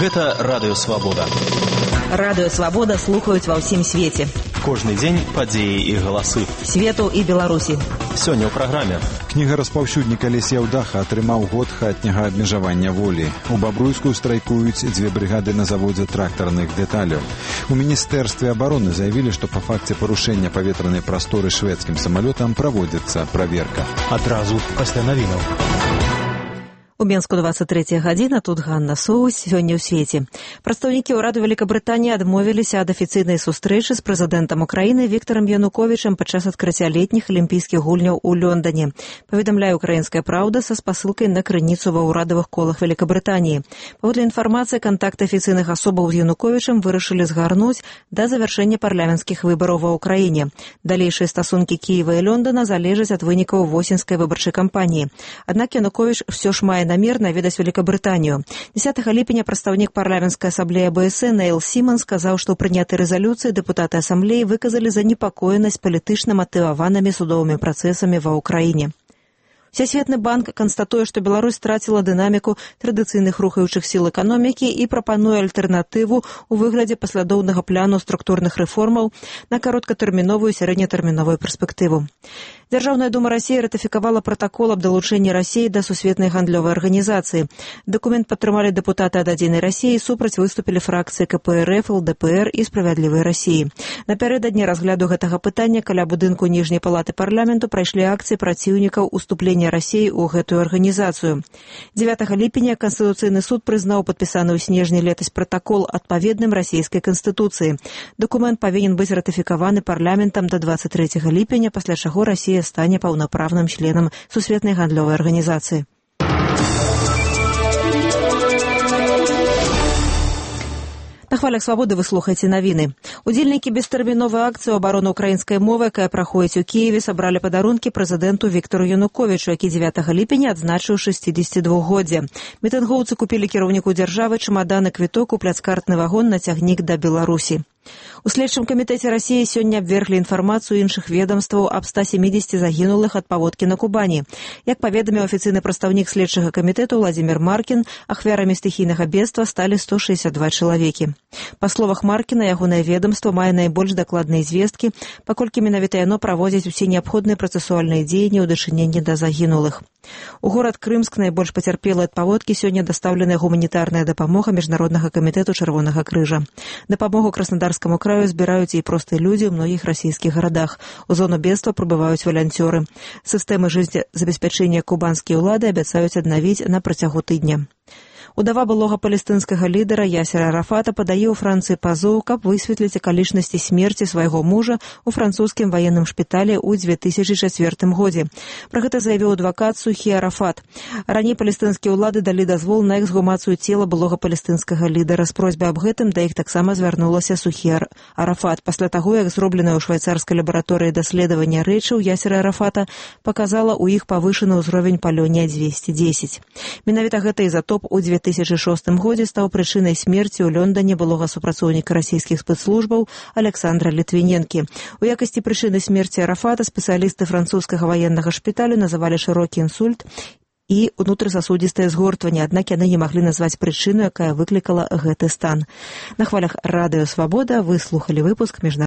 Гэта Радыё Свабода. Радыё Свабода слухаюць ва ўсім свеце. Кожны дзень падзеі і галасы. Свету і Беларусі. Сёння ў праграме. Кніга-распаўсюднік Алесь Яўдаха атрымаў год хатняга абмежавання волі. У Бабруйску страйкуюць 2 брыгады на заводзе трактарных дэталяў. У Міністэрстве абароны заявілі, што па факце парушэння паветранай прасторы шведскім самалётам праводзіцца праверка. Адразу пасля навінаў. У Менску 23 гадзіна, тут Ганна Соусь, сёння ў свеце. Прадстаўнікі ўраду Великабрытаніі адмовіліся ад афіцыйнай сустрэчы з прэзідэнтам Украіны Віктарам Януковічам падчас адкрыцця летніх алімпійскіх гульняў у Лондоне. Паведамляе «Украінская праўда» са спасылкай на крыніцу ва ўрадавых колах Великабрытаніі. Паводле інфармацыі, кантакты афіцыйных асобаў з Януковічам вырашылі згарнуць да завяршэння парламенцкіх выбараў ва ўкраіне. Далейшыя стасункі Кіева і Лондона залежаць ад вынікаў восеньскай выбарчай кампаніі. Аднак Януковіч ўсё ж мае намер наведаць Великабрытанію. 10 ліпеня прадстаўнік парламенцкай асамблеі АБС Нейл Сіман сказаў, што ў прынятай рэзалюцыі дэпутаты асамблеі выказалі занепакоенасць палітычна матываванымі судовымі працэсамі ва ўкраіне. Всесветны банк канстатуе, што Беларусь страціла дынаміку традыцыйных рухаючых сіл эканомікі і прапануе альтэрнатыву ў выглядзе паслядоўнага пляну структурных рэформаў на кароткатэрміновую і сярэднетэрміновую перспектыву. Дзяржаўная дума Расіі ратыфікавала пратакол аб далучэнні Расіі да сусветнай гандлёвай арганізацыі. Дакумент падтрымалі дэпутаты ад «Адзінай Расіі», супраць выступілі фракцыі КПРФ, ЛДПР і «Справядлівай Расіі». Напярэдадні разгляду гэтага пытання каля будынку ніжняй палаты парламенту прайшлі акцыі праціўнікаў уступлення Расіі ў гэтую арганізацыю. 9 ліпеня Канстытуцыйны суд прызнаў падпісаны ў снежні летась пратакол адпаведным расійскай канстытуцыі. Дакумент павінен быць ратыфікаваны парламентам да 23 ліпеня, пасля чаго Расія стане паўнапраўным членам сусветнай гандлёвай арганізацыі. На хвалях свабоды вы слухаеце навіны. Удзельнікі бестэрміновай акцыі абароны ўкраінскай мовы, якая праходзіць у Кіеве, сабралі падарункі прэзідэнту Віктару Януковічу, які 9 ліпеня адзначыў 62-годдзе. Мітынгоўцы купілі кіраўніку дзяржавы чамадан і квіток у пляцкартны вагон на цягнік да Беларусі. У следчым камітэце Расіі сёння абверглі інфармацыю іншых ведомстваў аб 170 загінулых ад паводкі на Кубані. Як паведаміў афіцыйны прадстаўнік следчага камітэту Владзімір Маркін, ахвярамі стыхійнага бедства сталі 162 чалавекі. Па словах Маркіна, ягонае ведомства мае найбольш дакладныя звесткі, паколькі менавіта яно праводзіць усе неабходныя працэсуальныя дзеянні ў дачыненні да загінулых. У горад Крымск найбольш пацярпелы ад паводкі сёння дастаўленая гуманітарная дапамога Міжнароднага камітэту Чырвонага крыжа. Дапамогу Краснодарскаму краю збіраюць і простыя людзі ў многіх расійскіх гарадах. У зону бедства прыбываюць валанцёры. Сістэмы жыццезабеспячэння кубанскія ўлады абяцаюць аднавіць на працягу тыдня. Удава былога палестынскага лідара Ясера Арафата падае ў Францыі пазоў, каб высветліць акалічнасці смерці свайго мужа ў французскім ваенным шпіталі ў 2004 годзе. Пра гэта заявіў адвакат Сухі Арафат. Раней палестынскія ўлады далі дазвол на эксгумацыю цела былога палестынскага лідара. З просьбай аб гэтым да іх таксама звярнулася Сухі Арафат. Пасля таго, як зробленае ў швайцарскай лабараторыі даследаванне рэчаў Ясера Арафата паказала ў іх павышаны ўзровень палёнія-210. Менавіта гэты ізатоп у 2006 годзе стаў прычынай смерці ў Лондоне былога супрацоўніка расійскіх спецслужбаў Александра Літвіненкі. У якасці прычыны смерці Арафата спецыялісты французскага ваеннага шпіталю называлі шырокі інсульт і ўнутрысасудзістае згортванне, аднак яны не маглі назваць прычыну, якая выклікала гэты стан. На хвалях Радыё Свабода вы слухалі выпуск